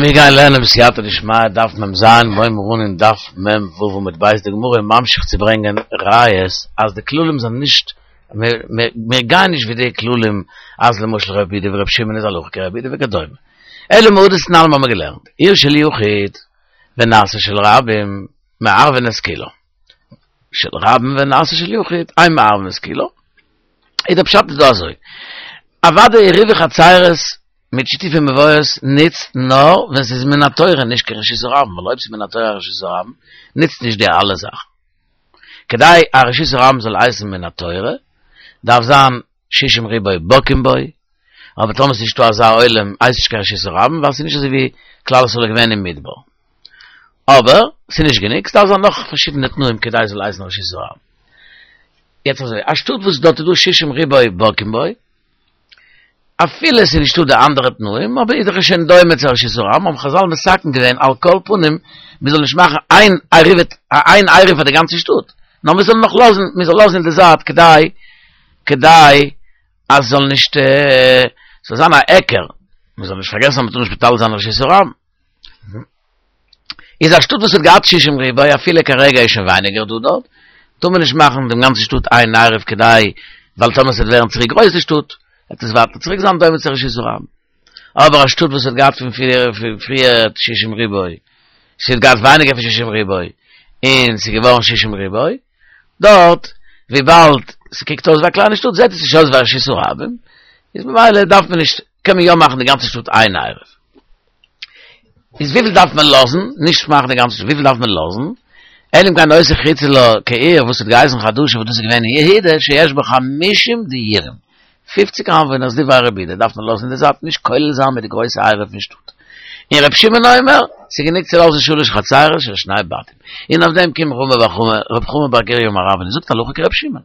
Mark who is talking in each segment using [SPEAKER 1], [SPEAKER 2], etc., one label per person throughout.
[SPEAKER 1] מיר גייען לערנען בסייעתא דשמיא דף מ ז, מ'הייבן אן אין דף מ ו עמוד ב', די גמרא איז ממשיך צו ברענגען ראיות אז די כללים זענען נישט, מיר גייען נישט ווי די כללים אז למשל רבי יהודה ורבי שמעון איז הלכה כרבי יהודה וכדומה, אלא מהא דתנן האבן מיר געלערנט, עיר של יחיד ונעשה של רבים מערבין את כולה, של רבים ונעשה של יחיד אין מערבין את כולה, איז דער פשט איז דא אזוי, אוודאי עירובי חצירות מיט שיתופי מבואות נוצט נאר ווען ס'איז מן התורה נישט קיין רשות הרבים, ווייל אויב ס'איז מן התורה א רשות הרבים נוצט נישט די אלע זאכן. כדי א רשות הרבים זאל הייסן מן התורה דארף זיין שישים ריבוא בקיאים בו, אבער טאמער ס'איז נישטא אזא עולם הייסט נישט קיין רשות הרבים ווייל ס'איז נישט אזוי ווי כלל ישראל איז געווען אין מדבר. אבער ס'איז נישט גענוג, ס'דארף זיין נאך פארשידענע תנאים כדי ס'זאל הייסן רשות הרבים. יעצט אזוי, א שטאט וואס דארט איז דא שישים ריבוא בקיאים בו, אפילו עס איז נישטא די אנדערע תנאים, אבער איז דאך שוין דומה צו רשות הרבים, האבן חזל מתקן געווען על כל פנים, מען זאל נישט מאכן איין עירוב איין עירוב פאר די גאנצע שטאט, נאר מען זאל נאך לאזן, מען זאל לאזן אין די זייט כדי כדי אז ס'זאל נישט, ס'זאל זיין א היכר, מען זאל נישט פארגעסן אז מען טאר נישט מטלטל זיין רשות הרבים. איז א שטאט וואס האט געהאט שישים ריבוא אפילו כרגע איז שוין ווייניגער דא דארט, טאר מען נישט מאכן דעם גאנצן שטאט איין עירוב כדי, ווייל טאמער ס'וועט ווערן צוריק גרויס די שטאט, וועט עס ווייטער צוריק זיין דומה צו רשות הרבים. אבער א שטאט וואס האט געהאט פון פריער שישים ריבוא, ס'האט געהאט ווייניגער פון שישים ריבוא, און ס'איז געווארן שישים ריבוא, דארט וויבאלד ס'קוקט אויס ווי א קליינע שטאט זעט עס נישט אויס ווי א רשות הרבים, איז ממילא דארף מען נישט, קען מען יא מאכן די גאנצע שטאט איין עירוב. איז וויפיל דארף מען לאזן, נישט מאכן די גאנצע שטאט, וויפיל דארף מען לאזן? אלא אם כן היתה חוצה לה כעיר וואס האט געהייסן חדשה וואס דאס איז געווען אין יהודה שיש בה חמישים דירים, פופציג איינוואוינערס דברי רבי יהודה דארף מען לאזן אין די זייט נישט כולל זיין מיט די גרויסע עירוב פון שטאט. און רבי שמעון אומר, ס'איז גענוג צו לאזן שלש חצירות של שני בתים. און אויף דעם קומט רב חמא בר גוריא אמר רב און זאגט הלכה כרבי שמעון.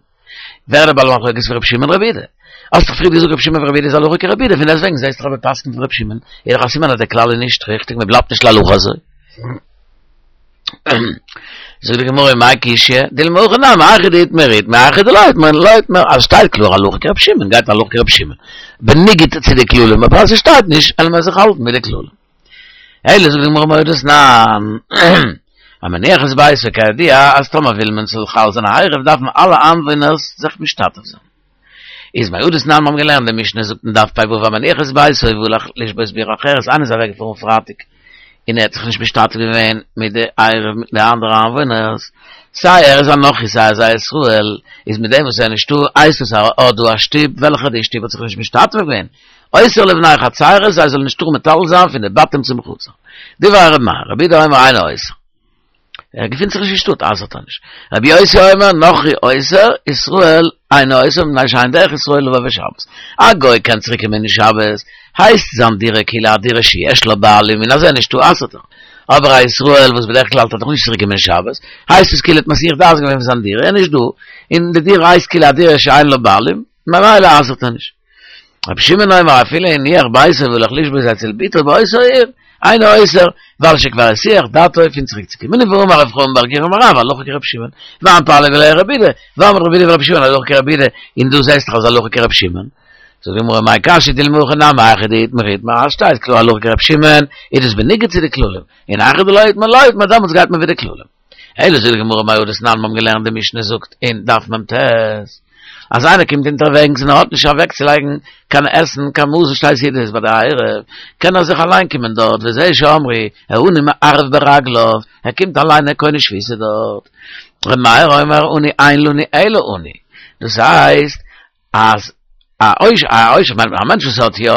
[SPEAKER 1] ווער איז דער בעל מחלוקת פון רבי שמעון רבי יהודה? האסט דאך פריער געזאגט רבי שמעון ורבי יהודה איז הלכה כרבי יהודה, פון דעסטוועגן זעסטו דאך אז מען פסק'נט ווי רבי שמעון, איז דאך א סימן אז דער כלל איז נישט ריכטיג, מען בלייבט נישט להלכה אזוי. זאגט די גמרא מאי קשיא, דילמא הכי נמי היכא דאיתמר איתמר היכא דלא איתמר לא איתמר, אז שטייט קלאר הלכה כרבי שמעון גייט הלכה כרבי שמעון, בניגוד צו די כללים, אבער אז עס שטייט נישט וועלן מיר זיך האלטן מיט די כללים. אלא זאגט די גמרא מהא דתנן, המניח את ביתו כידוע אז טאמער וויל מען ס'זאל חל זיין א עירוב דארפן אלע איינוואוינערס זיך משתתף זיין. איז מהא דתנן מיר האבן געלערנט די משנה זאגט אין דף פ"ו המניח את ביתו והלך לשבות בעיר אחרת איינער איז אוועק געפארן פרייטאג און ער האט זיך נישט משתתף געווען מיט די עירוב מיט די אנדערע איינוואוינערס סיי ער איז א נכרי סיי ער איז א ישראל איז מיט דעם וואס ער איז נישטא הייסט עס אז ער האט דא א שטוב וועלכע די שטוב האט זיך נישט משתתף געווען אוסר לבני חצירות זיי זאלן נישט טארן מטלטל זיין פון די בתים צום חצר. דברי ר' מאיר, רבי יהודה אומר אינו אוסר. ער געפינט זיך נישט אין שטאט אסר'ט ער נישט. רבי יוסי אומר נכרי אוסר, ישראל אינו אוסר מפני שאין דרך ישראל לבוא בשבת. א גוי קען צוריק קומען אין שבת, הייסט זיין דירה כאילו א דירה שיש לה בעלים און אז ער איז נישטא אסר'ט ער. אבער א ישראל וואס בדרך כלל האט ער דאך נישט צוריק קומען שבת, הייסט עס כאילו האט מסיח דעת געווען פון זיין דירה, ער איז נישט דא, און די דירה הייסט כאילו א דירה שאין לה בעלים, ממילא אסר'ט ער נישט. רבי שמעון אומר אפילו הניח ביתו והלך לשבות אצל בתו באותה העיר, אינו אוסר, ווייל שכבר הסיח דעתו פון צוריק צו קומען, ואמר רב חמא בר גוריא אמר רב הלכה כרבי שמעון, ואין פליגי עליה רבי יהודה, ואמרת רבי יהודה ורבי שמעון הלכה כרבי יהודה, און דו זעסט דאך אז הלכה כרבי שמעון. זאגט די גמרא מאי קשיא דילמא הכי נמי היכא דאיתמר איתמר אז שטייט קלאר הלכה כרבי שמעון, איז דאס בניגוד צו די כללים, און היכא דלא איתמר לא איתמר דעמאלטס גייט מען ווי די כללים. אלא זאגט די גמרא מהא דתנן מיר האבן געלערנט די משנה זאגט אין דף מ"ט אז איינער קומט אונטערוועגנס און ער האט נישט אוועקצולייגן קיין עסן קיין מזון שתי סעודות ביי די עירוב קען ער זיך אליין קומען דארט וזה שאמרו העני מערב ברגליו ער קומט אליין ער קונה שביתה דארט ר' מאיר אומר עני אין לנו אלא עני דאס הייסט אז א עושר, א עושר מיינט מען א מענטש וואס האט יא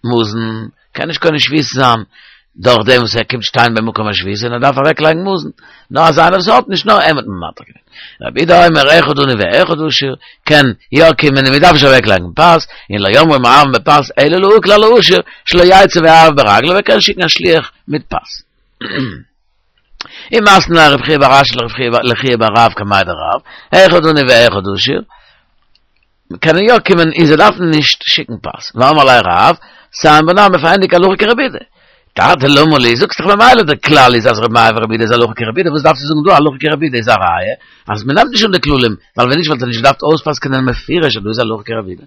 [SPEAKER 1] מזון, קען נישט קונה שביתה זיין דורך דעם וואס ער קומט שטיין במקום השביתה און ער דארף אוועק לייגן מזון, נאר אז איינער וואס האט נישט נאר אים האט מען מתיר געווען. רבי יהודה אומר אחד עני ואחד עשיר, קען יא קומען און מען דארף נישט אוועק לייגן פת, און לא אמרו מערבין בפת אלא להקל על העשיר שלא יצא ויערב ברגליו, ער קען שיקן א שליח מיט פת. ומתני ליה רב חייא בר אשי לחייא בר רב קמיה דרב, אחד עני ואחד עשיר, קענען יא קומען און זיי דארפן נישט שיקן פת. ואמר ליה רב, סיים בה נמי פארענדיג הלכה כרבי יהודה. טאטע למה לי, זאגסט דאך ממילא דער כלל איז אז ר' מאיר ורבי יהודה איז הלכה כרבי יהודה, וואס דארפסטו זאגן דא הלכה כרבי יהודה איז א ראיה אז מען נעמט נישט אן די כללים, ווייל ווען נישט וואלט ער נישט געדארפט אויספסק'נען מפורש אז דא איז הלכה כרבי יהודה.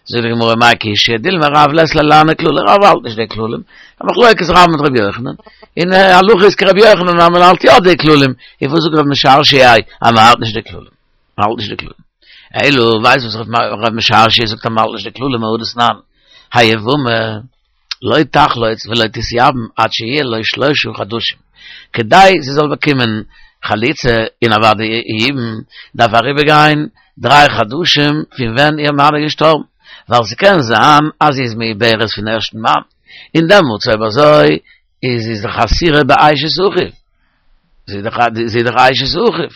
[SPEAKER 1] זאגט די גמרא מאי קשיא, דילמא רב לית ליה להני כללי, רב האלט נישט די כללים, א מחלוקת רב מיט רבי יוחנן, און הלכה איז כרבי יוחנן אז מען האלט יא די כללים, און וואס זאגט רב משרשיא אז מען האלט נישט די כללים, מען האלט נישט די כללים. אלא ווייסט וואס רב משרשיא זאגט אז מען האלט נישט די כללים מהא דתנן, היבמה לא תחלוץ ולא תתייבם עד שיהיה לו שלשה חדשים, כדי זי זאל באקומען חליצה און אוודאי יבום, דארף אריבערגיין דריי חדשים פון ווען איר מאן איז געשטארבן, ווייל ס'קען זיין אז זי איז מעוברת פון ערשטן מאן, און דעמאלטס אויב אזוי איז זי דאך אסורה באשת אחיו, זי איז דאך אשת אחיו,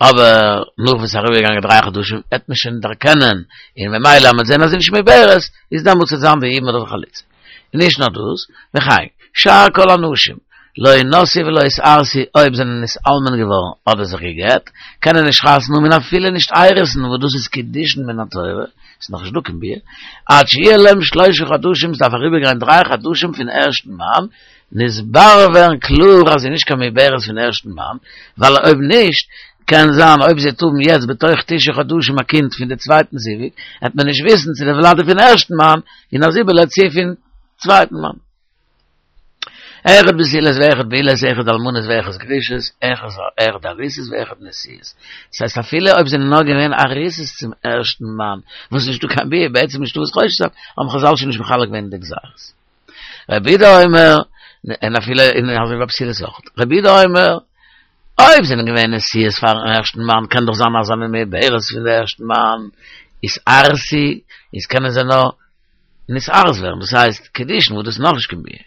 [SPEAKER 1] אבער נאך וואס ס'איז אריבערגעגאנגען דריי חדשים וועט מען שוין דערקענען, און ממילא אז מ'וועט זען אז זי איז נישט מעוברת, איז דעמאלטס וועט זיין די יבום אדער חליצה. און נישט נאר דאס, וכן, שאר כל הנשים, לא נשאו ולא התארסו, אויב זענען נתאלמן געווארן אדער זיך גע'גט, קענען נישט חתונה האבן און אפילו נישט אירוסין וואס דאס איז קידושין מן התורה, ס'איז נאך נישט דא קיין ביאה, עד שיהיה להם שלשה חדשים, ס'דארף אריבערגיין דריי חדשים פון ערשטן מאן, נתברר ווערן קלאר אז זי איז נישט קיין מעוברת פון ערשטן מאן, ווייל אויב נישט, קען זיין אויב זי וועט האבן יעצט בתוך תשעה חדשים א קינד פון די צווייטן זיווג, וועט מען נישט וויסן צו די ולד איז פון ערשטן מאן, און אז איבערלעבט צו פון צווייטן מאן. אחד בתולות ואחד בעולות, אחד אלמנות ואחד גרושות, אחד ארוסות ואחד נשואות. דאס הייסט אפילו אויב זענען נאר געווען ארוסות צום ערשטן מאן, וואס איז נישטא קיין ביאה, בעצם נישטא וואס חושש זיין, האבן חזל שוין נישט מחלק געווען די גזירות. רבי יהודה אומר, און אפילו אין אזוי ווי בתולות אויך. רבי יהודה אומר, אויב זענען געווען נשואות פארן ערשטן מאן קען דאך זיין אז זענען מעוברות פון די ערשטן מאן, יתארסו, איז קענען זיי נאר נתארס ווערן, דאס הייסט קידושין וואס דאס איז נאכנישט קיין ביאה,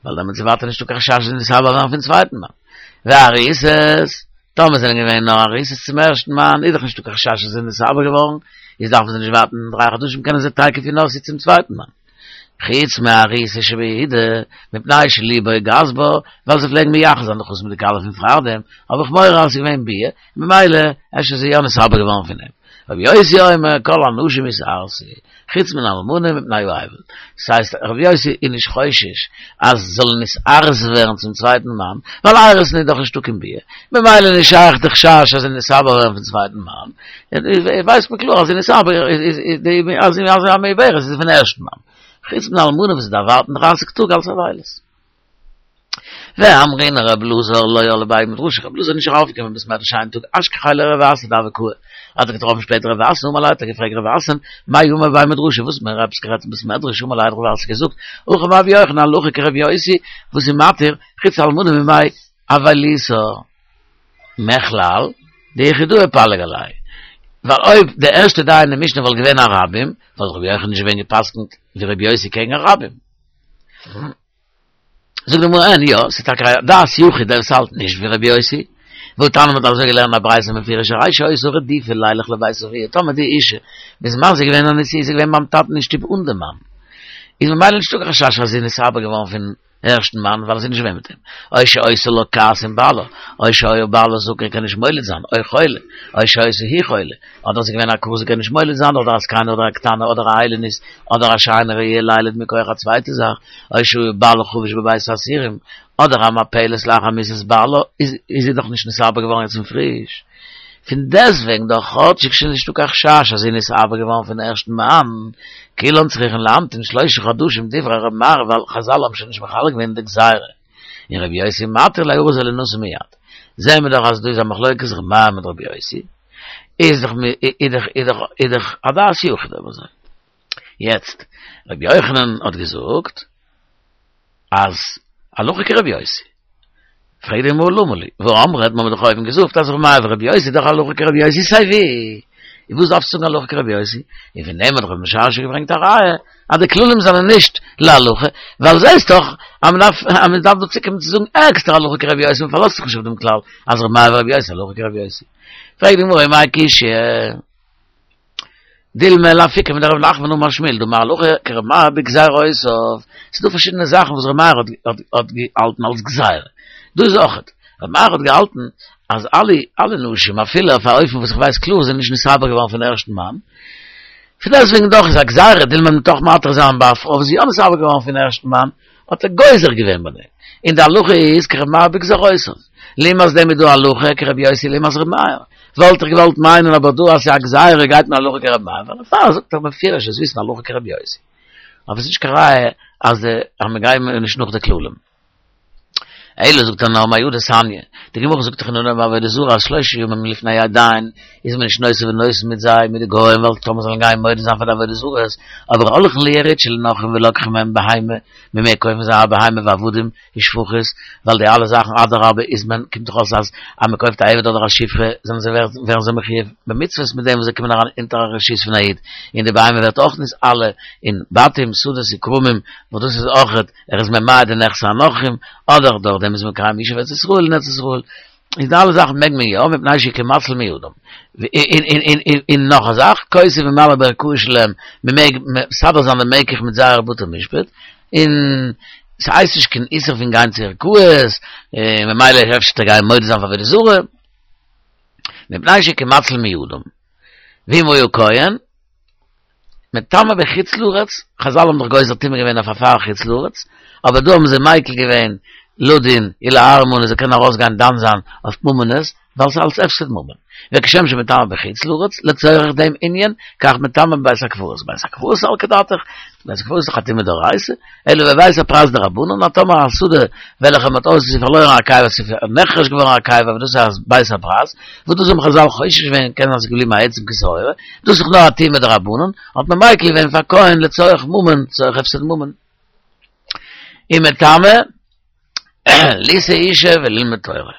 [SPEAKER 1] ווייל דעמאלטס איז ווייטער נישטא קיין חשש זיי נתעבר ווערן פון צווייטן מאן. וארוסות, טאמער זענען געווען נאר ארוסות צום ערשטן מאן, איז דאך נישטא קיין חשש אז זיי זענען נתעבר געווארן, איז דארפן זיי נישט ווארטן דריי חדשים קענען זיי תיכף ינשאו צום צווייטן מאן. חוץ מארוסה שביהודה, מפני שליבו גס בה, ווייל זיי פלעגן מייחס זיין די חתן מיט די כלה פון פארדעם, האב איך מורא אז עס איז געווען ביאה, ממילא אפשר איז זי יא נתעבר געווארן פון אים. רבי יוסי אומר כל הנשים יתארסו, חוץ מן האלמנה מפני האבל. דאס הייסט רבי יוסי איז נישט חושש אז זאל נתארס ווערן צום צווייטן מאן, ווייל אירוסין איז דאך נישטא קיין ביאה, ממילא נישט שייך די חשש אז זי נתעבר ווערן פון צווייטן מאן, ווייסט מען קלאר אז זי נתעבר אז זי איז א מעוברת איז פון ערשטן מאן, חוץ מן האלמנה וואס דארף ווארטן דרייסיג טאג אלס אבילות. ואמרינן רב אלעזר לא על לבי מדרשא, רב אלעזר איז נישט ארויפגעקומען אין בית מדרש איין טאג, אשכחיה לרב אסי דהוה קאי, האט ער געטראפן שפעטער רב אסי, אמר ליה האט ער געפרעגט רב אסי, מאי אמור בבי מדרשא, וואס האט מען עפעס גערעדט אין בית מדרש, אמר ליה האט רב אסי געזאגט, הכי אמר רבי יוחנן הלכה כרבי יוסי, וואס איז מתיר, חוץ אלמנה מימי אבילותה. מכלל, דיחידאה פליג עליה. ווייל אויב די ערשטע דעה אין די משנה וואלט געווען א רבים, וואלט רבי יוחנן נישט געווען גע'פסק'נט ווי רבי יוסי קעגן א רבים. זאגט די גמרא אין יא, ס'איז טאקע א דעת יחיד דער וואס האלט נישט ווי רבי יוסי, והתניא מ'האט אזוי געלערנט א ברייתא מפורש הרי שהיתה רדופה לילך לבית אביה, טאמער די אישה בזמן זי איז געווען א נשואה איז זי געווען ביים טאטן אין שטוב אן די מאן, איז ממילא נישטא קיין חשש אז זי איז נתעבר געווארן פון ערשטן מאן ווייל זי איז נישט געווען מיט אים, או שהיתה לה כעס עם בעלה, או שהיה בעלה זקן קען נישט מוליד זיין, או חולה, או שהיתה היא חולה, אדער זי איז געווען א עקרה זי קען נישט מוליד זיין, אדער א זקנה אדער א קטנה אדער א איילונית, אדער א שאינה ראויה לילד מכח א צווייטע זאך, או שהיה בעלה חבוש בבית האסורים, אדער א מפלת לאחר מיתת בעלה, איז זי דאך נישט נתעבר געווארן יעצט פון פריש. פון דעסטוועגן דאך כאטשיג שוין נישטא קיין חשש אז זי איז נתעבר געווארן פון ערשטן מאן, כולן צריכין להמתין שלשה חדשים דברי ר' מאיר ווייל חזל האבן שוין נישט מחלק געווען די גזירה, און ר' יוסי מתיר ליארס ולינשא מיד. זעהן מיר דאך אז דא איז א מחלוקת ר' מאיר מיט ר' יוסי, איז דאך איז דאך איז דאך א דעת יחיד אויב אזוי. יעצט, ר' יוחנן האט געזאגט אז הלכה כר' יוסי. פרעגט די גמרא למה לי, והאמרת, מ'האט דאך אויבן געזאגט אז ר' מאיר ור' יוסי איז דאך הלכה כר' יוסי סיי ווי, איז וואס דארפסטו זאגן הלכה כר' יוסי? און פון דעם האט רב משרשיא געברענגט א ראיה אז די כללים זענען נישט להלכה, ווייל זעסט דאך אז מ'דארף אז מ'דארף דא צוקומען צו זאגן עקסטער הלכה כר' יוסי, מ'פארלאזט זיך נישט אויף דעם כלל אז ר' מאיר ור' יוסי הלכה כר' יוסי. פרעגט די גמרא ומאי קשיא? דילמא לאפוקי מדרב נחמן אמר שמואל דאמר הלכה כר' מאיר בגזירותיו, ס'איז דא פארשידענע זאכן וואס ר' מאיר האט האט געהאלטן אלס גזירה, דא איז אויכעט, ר' מאיר האט געהאלטן אז אלע אלע נשים אפילו אויף א אופן וואס איך ווייס קלאר זענען נישט נתעבר געווארן פון ערשטן מאן, פון דעסטוועגן דאך איז א גזירה דילמא מ'וועט דאך מתיר זיין ביי א פרוי וואס איז יא נתעבר געווארן פון ערשטן מאן, האט ער גוזר געווען ביי דעם, און די הלכה איז כר' מאיר בגזירותיו, לעומת דעם איז דא הלכה כר' יוסי לעומת ר' מאיר. וואלט איך געוואלט מיינען אבער דא אז ס'איז א גזירה גייט מען הלכה כרבי מאיר, ווייל דערפאר זאגט ער בפירוש זאלסט וויסן הלכה כרבי יוסי. אבער ס'איז נישט קיין ראיה אז אז מ'גייט נישט נאך די כללים. אלא זאגט ער נאר מהא דתניא, די גמרא זאגט דאך אין אנהויב עבודה זרה אז שלושה ימים לפני העדיים איז מען נישט נושא ונותן מיט זיי מיט די גוים ווייל טאמער זאלן גיין מודה זיין פאר די עבודה זרות, אבער הולכין ליריד של נכרים ולוקחין מהם בהמה, מען מעג קויפן זיי א בהמה ועבדים ושפחות, ווייל די אלע זאכן אדרבה איז מען קומט דאך אויס אז אז מען קויפט א עבד אדער א שפחה זענען זיי ווערן זיי מחויב במצוות מיט דעם וואס זיי קומען אריין אונטער א רשות פון א איד, און די בהמה ווערט אויך נתעלה אין בתים שדות וכרמים וואס דאס איז אויך ער איז ממעט די נכסי הנכרים, אדער דורך דעם איז מקיים ישוב ארץ ישראל אין ארץ ישראל, איז די אלע זאכן מעג מען יא, מפני שהוא כמציל מידם. און נאך א זאך, כותב וממלא בערכאות שלהם, מען מעג מסדר זיין די מקח מיט זייערע בתי משפט, און ס'הייסט נישט קיין איסור פון גיין צו ערכאות, ממילא אפשר וועט ער גיין מודה זיין פאר עבודה זרה, מפני שהוא כמציל מידם. ואם היה כהן. מטמא בחוץ לארץ, חזל האבן דאך גוזר טומאה געווען אויף א פאר חוץ לארץ, אבער דא האבן זיי מיקל געווען לדון ולארמון זיי קענען ארויס גיין דן זיין אויף ממונות, ווייל ס'איז אלס הפסד ממון. וכשם שמטמא בחוץ לארץ, לצורך דעם ענין, כך מטמא בבית הקברות, בית הקברות סלקא דעתך, בית הקברות איז דאך א טומאה דאורייתא, אלא בבית הפרס דרבנן, אז טאמער א שדה וועלכע מ'האט אויס ס'איז פארלוירן א קבר ס'איז נחרש געווארן א קבר וואס דאס איז בית הפרס, וואס דאס האבן חזל חושש געווען קען זיין ס'איז געבליבן א עצם כשעורה, דאס איז דאך נאר א טומאה דרבנן, האט מען מיקל געווען פאר כהן לצורך ממון, לצורך הפסד ממון. ומטמא לישא אישה וללמוד תורה.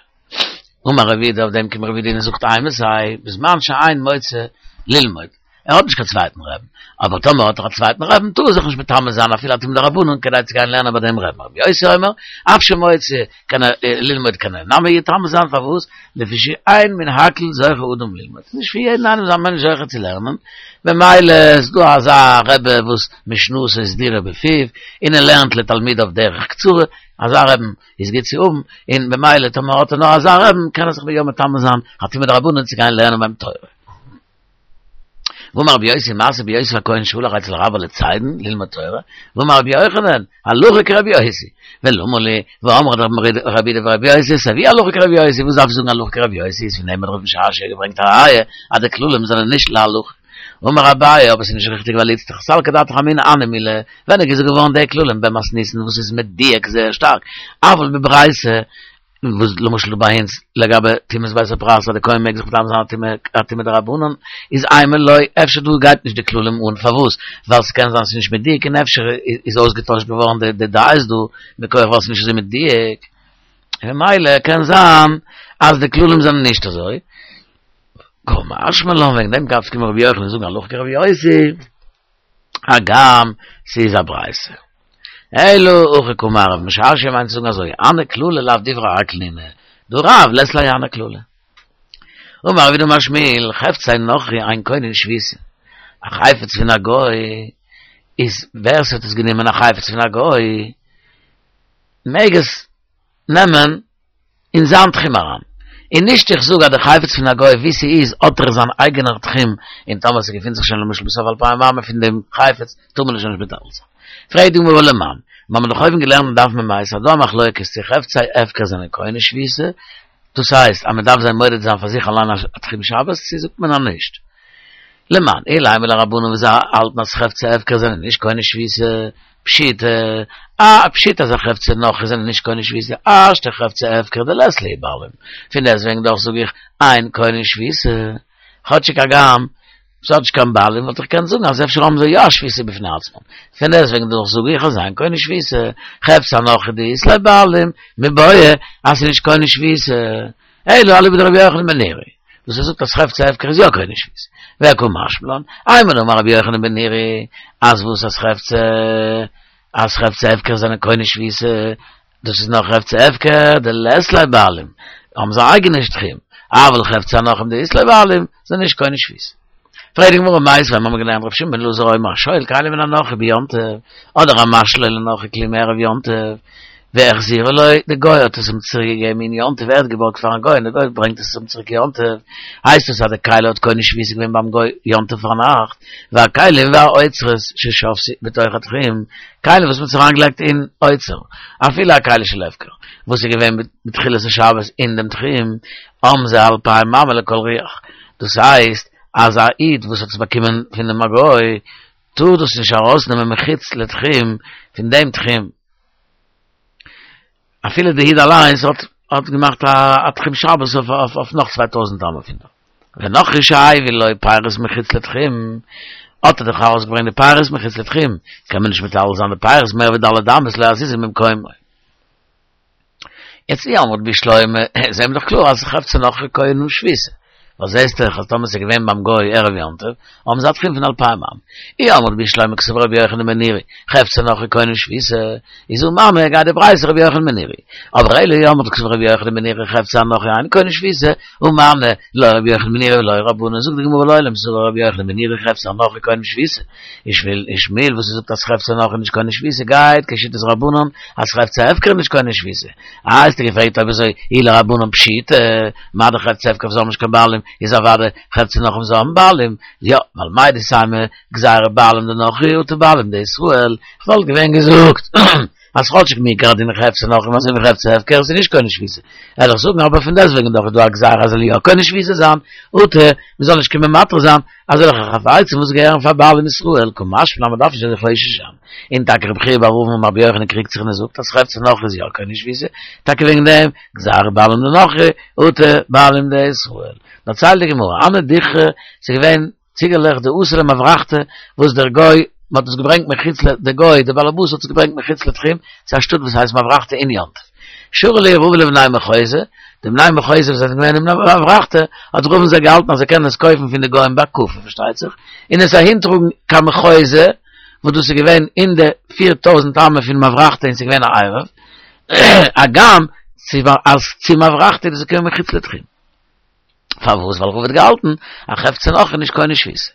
[SPEAKER 1] אמר רב יהודה אויף דעם קומט רב יהודה און זאגט אימתי בזמן שאין מוצא ללמוד. ער האט נישט קיין צווייטן רעבן, אבער טאמער האט ער א צווייטן רעבן טאר ער זיך נישט מטמא זיין אפילו א טומאה דרבנן כדי צו גיין לערנען ביי דעם רעבן. רבי יוסי אומר, אף שמוצא קען ער ללמוד קען ער נמי יטמא זיין פארוואס? לפי שאין מן הכל זוכה אדם ללמוד, ס'איז נישט פון יעדן איינעם איז א מענטש זוכה צו לערנען, במילא איז דא אזא רבי וואס משנתו סדורה בפיו און ער לערנט לתלמידיו דרך קצרה, אזא רעבן איז גוט צו האבן, און במילא טאמער האט ער נאר אזא רעבן קען ער זיך יא מטמא זיין א טומאה דרבנן צו גיין לערנען ביים תורה. ואמר רבי יוסי מעשה ביוסף הכהן שהלך אצל רבו לצידון ללמוד תורה, ואמר רבי יוחנן, הלכה כרבי יוסי, ולמה לי, והאמרת רבי יהודה ברבי יוסי, סיי ווי הלכה כרבי יוסי, וואס דארף איך זאגן הלכה כרבי יוסי, איז פון דעם האט רב משרשיא געברענגט א ראיה אז די כללים זענען נישט להלכה. אמר אביי, אבער ס'איז נישט ריכטיג ווייל איצטריך סלקא דעתך אמינא הני מילי, ווען איז געזאגט געווארן די כללים במתניתין וואס איז מדויק זייער שטארק, אבל בברייתא, וואס למשל דא ביי אונז לגבי טומאת בית הפרס אז די כהן מעג זיך מטמא זיין א טומאה דרבנן איז אימא לא אפשר דא גייט נישט די כללים אן פארוואס ווייל ס'קען זיין ס'איז נישט מדויק און אפשר איז אויסגעטוישט געווארן די די דעות דא מכח ווייל ס'איז נישט אזוי מדויק ממילא קען זיין אז די כללים זענען נישט אזוי קא משמע לן וועגן דעם דארף קומען רבי יוחנן זאגן הלכה כרבי יוסי. הגם ס'איז א ברייתא. אלא הכי קאמר רב משרשיא מיינט צו זאגן אזוי, הני כללי לאו דברי הכל נינהו, דהא רב לית ליה הני כללי. אמר רב יהודה אמר שמואל, חפצי נכרי אין קונין שביתה. א חפץ פון א גוי איז ווער ס'האט עס גענומען א חפץ פון א גוי מעג עס נעמען אין זיין תחום אריין, און נישט איך זאג אז די חפץ פון א גוי ווי ס'איז האט ער זיין אייגענער תחום, און טאמער ס'געפינט זיך שוין למשל בסוף אלפיים אמה פון דעם חפץ טאר מען עס שוין נישט מטלטל זיין. פרעגט די גמרא ולמאן, מיר האבן דאך אויבן געלערנט אין דף מ"ה אז דא א מחלוקת צו חפצי הפקר זענען קונה שביתה, דאס הייסט אז מ'דארף זיי מודד זיין פאר זיך אליין א תחום שבת, צו זאגט מען אז נישט. למאן אילימא לרבנן וואס זיי האלטן אז חפצי הפקר זענען נישט קונה שביתה, פשיטא, א פשיטא אז א חפצי נכרי זענען נישט קונה שביתה, השתא חפצי הפקר דלית להו בעלים, פון דעסטוועגן דאך זאג איך אין קונה שביתה, כאטשיג הגם ס'האט נישט קיין בעלים וואלט איך געקענט זאגן אז אפשר האבן זיי יא א שביתה בפני עצמם, פון דעסטוועגן דאך זאג איך אז אין קונה שביתה, חפצי נכרי דאית להו בעלים, מיבעיא אז ס'איז נישט קונה שביתה, אלא אליבא דרבי יוחנן בן נורי, וואס ער זאגט אז חפצי הפקר איז יא קונה שביתה. וקא משמע לן, אימר דאמר רבי יוחנן בן נורי, אז וואס אז חפצי אז חפצי הפקר זענען קונה שביתה, דאס איז נאר חפצי הפקר דלית להו בעלים, האבן זיי אייגענע תחום, אבל חפצי הנכרים דאית להו בעלים, זענען נישט קונה שביתה. פרעגט די גמרא מיתיבי, מיר האבן געלערנט רבי שמעון בן אלעזר אומר השואל כלי מן הנכרי ביום טוב, אדער המשליל לנכרי כלי מערב יום טוב. והחזירו לו, די גוי האט עס אים צוריק געגעבן אין יום טוב, ער האט געבארגט פארן גוי און די גוי ברענגט עס אים צוריק יום טוב, הייסט עס אז די כלי האט קונה שביתה געווען ביים גוי יום טוב פארנאכט, והכלים והאוצרות ששבתו בתוך התחום, כלים וואס מען האט אריינגעלייגט אין אוצר, אפילו א כלי של הפקר, וואס איז געווען בתחילת השבת אין דעם תחום, האבן זיי אלפיים אמה לכל רוח, דאס הייסט אז א איד וואס האט עס באקומען פונעם א גוי, טאר דאס נישט ארויסנעמען מחוץ לתחום פון דעם תחום, אפילו די איד אליינס האט האט געמאכט א תחום שבת אויף אויף נאך צוויי טויזנט אמה פון דא. ונכרי שהביא לו פירות מחוץ לתחום, האט ער דאך ארויסגעברענגט די פירות מחוץ לתחום, קען מען נישט מטלטל זיין די פירות מער ווי ד' אמות לא יזיזו ממקומו. יעצט אי אמרת בשלמא, זעהן מיר דאך קלאר אז חפצי נכרי קונה שביתה, ווייל זעהסט דאך אז טאמער ס'איז געווען ביים גוי ערב יום טוב, האבן זיי א תחום פון אלפיים אמה. אי אמרת בשלמא קסבר רבי יוחנן בן נורי, חפצי נכרי קונה שביתה, איז הא מני גייט די ברייתא רבי יוחנן בן נורי. אבער אלא אי אמרת קסבר רבי יוחנן בן נורי חפצי הנכרי אין קונה שביתה, הא מני לא רבי יוחנן בן נורי ולא רבנן, זאגט די גמרא לעולם סבר רבי יוחנן בן נורי חפצי הנכרי קונה שביתה. שמואל שמואל וואס זאגט אז חפצי נכרי נישט קונה שביתה גייט כשיטת רבנן אז חפצי הפקר איז נישט קונה שביתה. אה האסטו געפרעגט אויב אזוי אי לרבנן פשיטא מה דאך חפצי הפקר וואס האבן נישט קיין בעלים איז אוודאי חפצי נכרי וואס האבן בעלים יא ווייל מהו דתימא גזירה בעלים דנכרי אטו בעלים דישראל כ'וואלט געווען געזאגט אז כאטשיג מעיקר הדין חפצי נכרי אזוי ווי חפצי הפקר איז נישט קונה שביתה וועל איך זאגן אבער פון דעסטוועגן דאך איז דא א גזירה אז זאל יא קונה שביתה זיין אטו מ'זאל נישט קומען מתיר זיין אזעלכע חפצים וואס געהערן פאר בעלים ישראל קא משמע לן אז מ'דארף נישט אזוי חושש זיין און טאקע רבי חייא בר אבין אמר רבי יוחנן קריגט זיך און ער זאגט אז חפצי נכרי איז יא קונה שביתה טאקע וועגן דעם גזירה בעלים דנכרי אטו בעלים דישראל דערציילט די גמרא הנהו דיכרי ס'איז געווען ציגעלעך דאתו למברחתא וואס דער גוי מען האט עס געברענגט מחוץ ל דער גוי דער באלעבאס האט עס געברענגט מחוץ לתחום צו א שטאט וואס הייסט מברחתא אין יום טוב שרא להו רבא לבני מחוזא די בני מחוזא וואס זענען געווען אין מברחתא האט רבא זיי געהאלטן אז זיי קענען עס קויפן פון די גוים בהקפה פארשטייט זיך און עס אהינטראגן קיין מחוזא וואס דאס איז געווען אין די פיר טויזנט אמה פון מברחתא און ס'איז געווען א עירוב הגם אז צו מברחתא איז דאס געקומען מחוץ לתחום. פארוואס? ווייל רבא האט געהאלטן אז חפצי נכרי נישט קונה שביתה.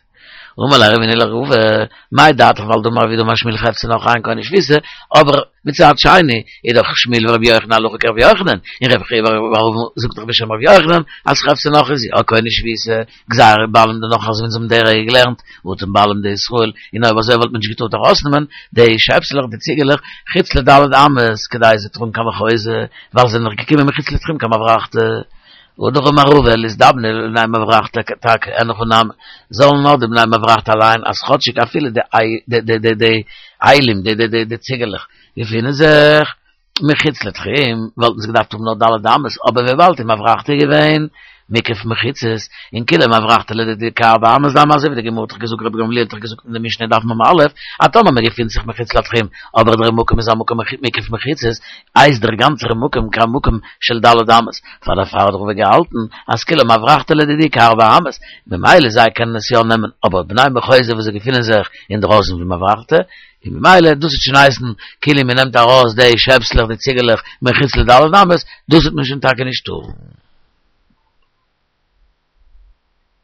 [SPEAKER 1] אמר ליה רבינא לרבא, מאי דעתך ווייל דאמר רב יהודה אמר שמואל חפצי נכרי אין קונה שביתה, אבער מצד שני איז דאך שמואל ורבי יוחנן הלכה כרבי יוחנן, און רבי חייא בר אבין זאגט דאך בשם רבי יוחנן אז חפצי נכרי איז יא קונה שביתה, גזירה בעלים דנכרי אזוי ווי אונז האבן די רגע געלערנט, אטו בעלים דישראל, און אויב אזוי וואלט מען נישט געטארט ארויסנעמען די שעפסלעך די ציגעלעך חוץ לד' אמות כדי זיי טראגן קיין מחוזא, ווייל זיי זענען דאך געקומען מחוץ לתחום קיין מברחתא. והדר אמר רבא ליזדבנו לבני מברחתא טאקע אין הכי נמי זאלן נאר די בני מברחתא אליין אז כאטשיג אפילו די די די די אילים די די די די ציגעלעך געפינען זיך מחוץ לתחום וואלטן זיי געדארפט האבן נאר ד' אמות אבער וויבאלד אין מברחתא איז געווען מוקף מחיצות און כולה מברחתא לדידי כארבע אמות דמי אזוי ווי די גמרא האט דאך געזאגט רבי גמליאל האט דאך געזאגט אין די משנה דף מ"א אז טאמער מען געפינט זיך מחוץ לתחום אבער דער מקום איז א מקום מוקף מחיצות הייסט דער גאנצער מקום כמקום של ד' אמות, פאר דערפאר האט רבא געהאלטן אז כולה מברחתא לדידי כארבע אמות, ממילא זיי קענען עס יא נעמען, אבער בני מחוזא וואס זיי געפינען זיך אינדרויסן פון מברחתא, און ממילא דאס וועט שוין הייסן כאילו מען נעמט ארויס די שעפסלעך די ציגעלעך מחוץ לד' אמות, דאס וועט מען שוין טאקע נישט טארן.